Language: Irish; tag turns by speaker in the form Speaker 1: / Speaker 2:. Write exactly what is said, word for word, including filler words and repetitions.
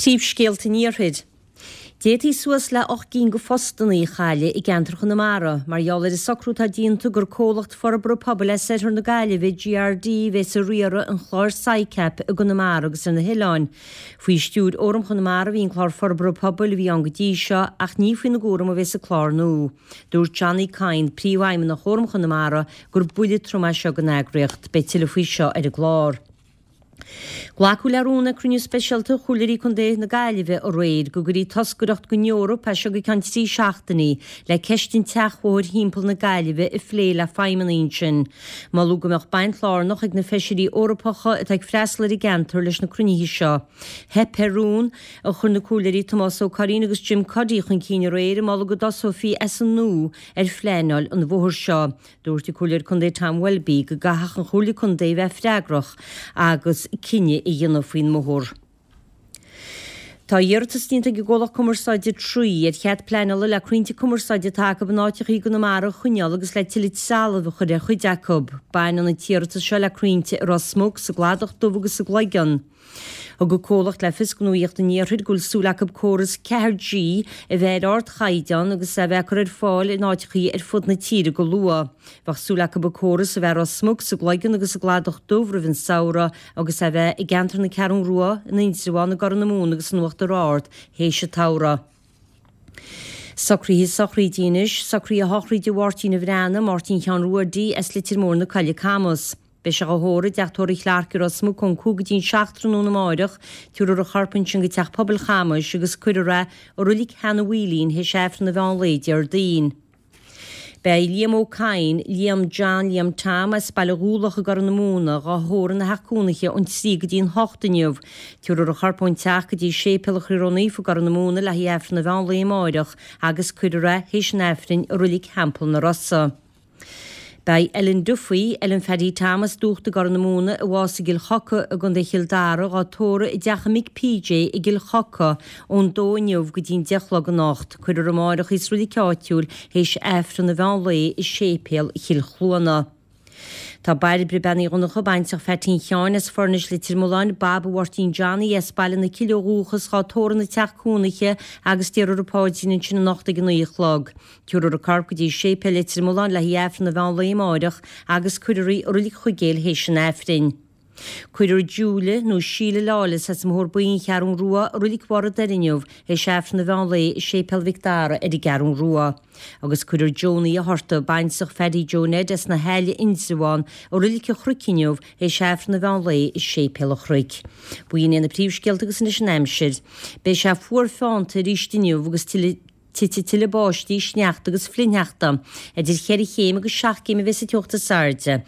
Speaker 1: Príomhscéalta an Iarthair. D'fhéadfaí suas le ocht gcinn de phostanna a chailleadh i gceantar Chonamara mar gheall ar an socrú atá déanta gur comhlacht forbartha pobail as oirthear na Gaillimhe, GRD, a bheas ag riaradh an chláir SICAP i gConamara agus ar na hoileáin. Faoi stiúir Fhóram Chonamara a bhí an clár forbartha pobail a bhí ann go dtí seo ach ní faoina gcúram a bheas an clár nua. Dúirt Johnny Kyne, Príomhfheidhmeannach Fhóram Chonamara, gur buille trom é seo don eagraíocht. Beidh tuilleadh faoi seo ar an gclár. Glacadh le rún ag cruinniú speisialta Chomhairleoirí Contae na Gaillimhe aréir go gcuirfí toscaireacht don Eoraip as seo go ceann trí seachtainí le ceist an tseachbhóthair thimpeall na Gaillimhe a phlé le feidhmeannaigh ansin. Moladh go mbeadh baint lárnach ag na feisirí Eorpacha atá ag freastal ar an gceantar leis na cruinnithe seo. Theip ar rún a chuir na Comhairleoirí Tomás Ó Curraoin agus Jim Cuddy chun cinn aréir ag moladh go dtosófaí as an nua ar phleanáil an bhóthair seo. Dúirt an Comhairleoir Contae Tom Welby go gcaithfeadh an Chomhairle Contae bheith freagrach agus cinneadh a dhéanamh faoin mbóthar. Tá iarratas déanta ag an gcomhlacht cumarsáide Three ar chead pleanála le crainnte cumarsáide atá acu in áiteachaí i gConamara a choinneáil agus le tuilleadh trealaimh a chur ar chuid acu. Baineann an t-iarratas seo le crainnte i Ros Muc, sa gCladach Dubh agus sa gCloigeann. Thug an comhlacht le fios do Nuacht an Iarthair go bhfuil súil acu córas ceathair G a bheith ar ardchaighdeán agus a bheith á cur ar fáil in áiteachaí ar fud na tíre go luath. Bheadh súil acu an córas a bheith i Ros Muc, sa gCloigeann agus sa gCladach Dubh roimh an samhradh agus a bheith i gceantar na Ceathrún Rua, in Indreabhán, i gCorr na Móna agus in Uachtar Ard théis an tsamhraidh. Socruithe sochraide anois, socruithe sochraide Mháirtín an Bhreathnaigh, Máirtín Sheáin Ruairí as Leitir Móir na Coille Camas. Beidh sé á thórramh i dteach tórraimh Chlarke i Ros Muc ón cúig go dtí an seacht tráthnóna amáireach, tabharfar a chorp ansin go Teach Pobail Chamais agus cuirfear é i Roilig Sheanadh Mhaoilín théis Aifreann an mheán lae Déardaoin. Beidh Liam Ó Cadhain, Liam John, Liam Tom as Baile Dhúlach i gCorr na Móna, dhá thórramh ina theach cónaithe ón trí go dtí an hocht inniu. Tabharfar a chorp ón teach go dtí Séipéal an Chroí Ró-Naofa i gCorr na Móna le haghaidh Aifreann an mheán lae amáireach agus cuirfear é théis an Aifrinn i Roilig Theampall na Rosa. Beidh Ellen Duffy, Ellen Phaddy Tom as Dúcht i gCorr na Móna, a bhásaigh i gCill Choca i gContae Chill Dara, dhá tórramh i dteach a mic PJ i gCill Choca ón dó inniu go dtí an deich a chlog anocht. Cuirfear amáireach í sa roilig áitiúil théis Aifreann an mheán lae i Séipéal Chill Chluana. Tá Bairbre Bean Uí Dhonncha, baintreach Pheaitín Sheáin as Foirnis Leitir Mealláin, Baba Mháirtín Johnny as Baile na Cille ó dhúchas, dhá tórramh ina teach cónaithe agus déarfar an paidrín ansin anocht ag a naoi a chlog. Tabharfar a corp go dtí Séipéal Leitir Mealláin le haghaidh Aifreann an mheán lae amáireach agus cuirfear í i Roilig Chuigéil théis an Aifrinn. Cuirfear Julia nó Síle Lawless as an mBóthar Buí an Cheathrún Rua i Roilig Bharr an Doire inniu théis Aifreann an mheán lae i Séipéal Mhic Dara ar an gCeathrún Rua. Agus cuirfear Joan Uí Fhatharta, baintreach Phaddy Joe Ned as na hAille Indreabhán, i Roilig an Chnoic inniu théis Aifreann an mheán lae i Séipéal an Chnoic. B'in iad na príomhscéalta agus anois an aimsir. Beidh sé fuar feannta arís inniu agus tuilleadh Titfidh tuilleadh báistí, sneachta agus flichshneachta. Idir cheithre chéim agus seacht gcéim a bheas an teocht is airde.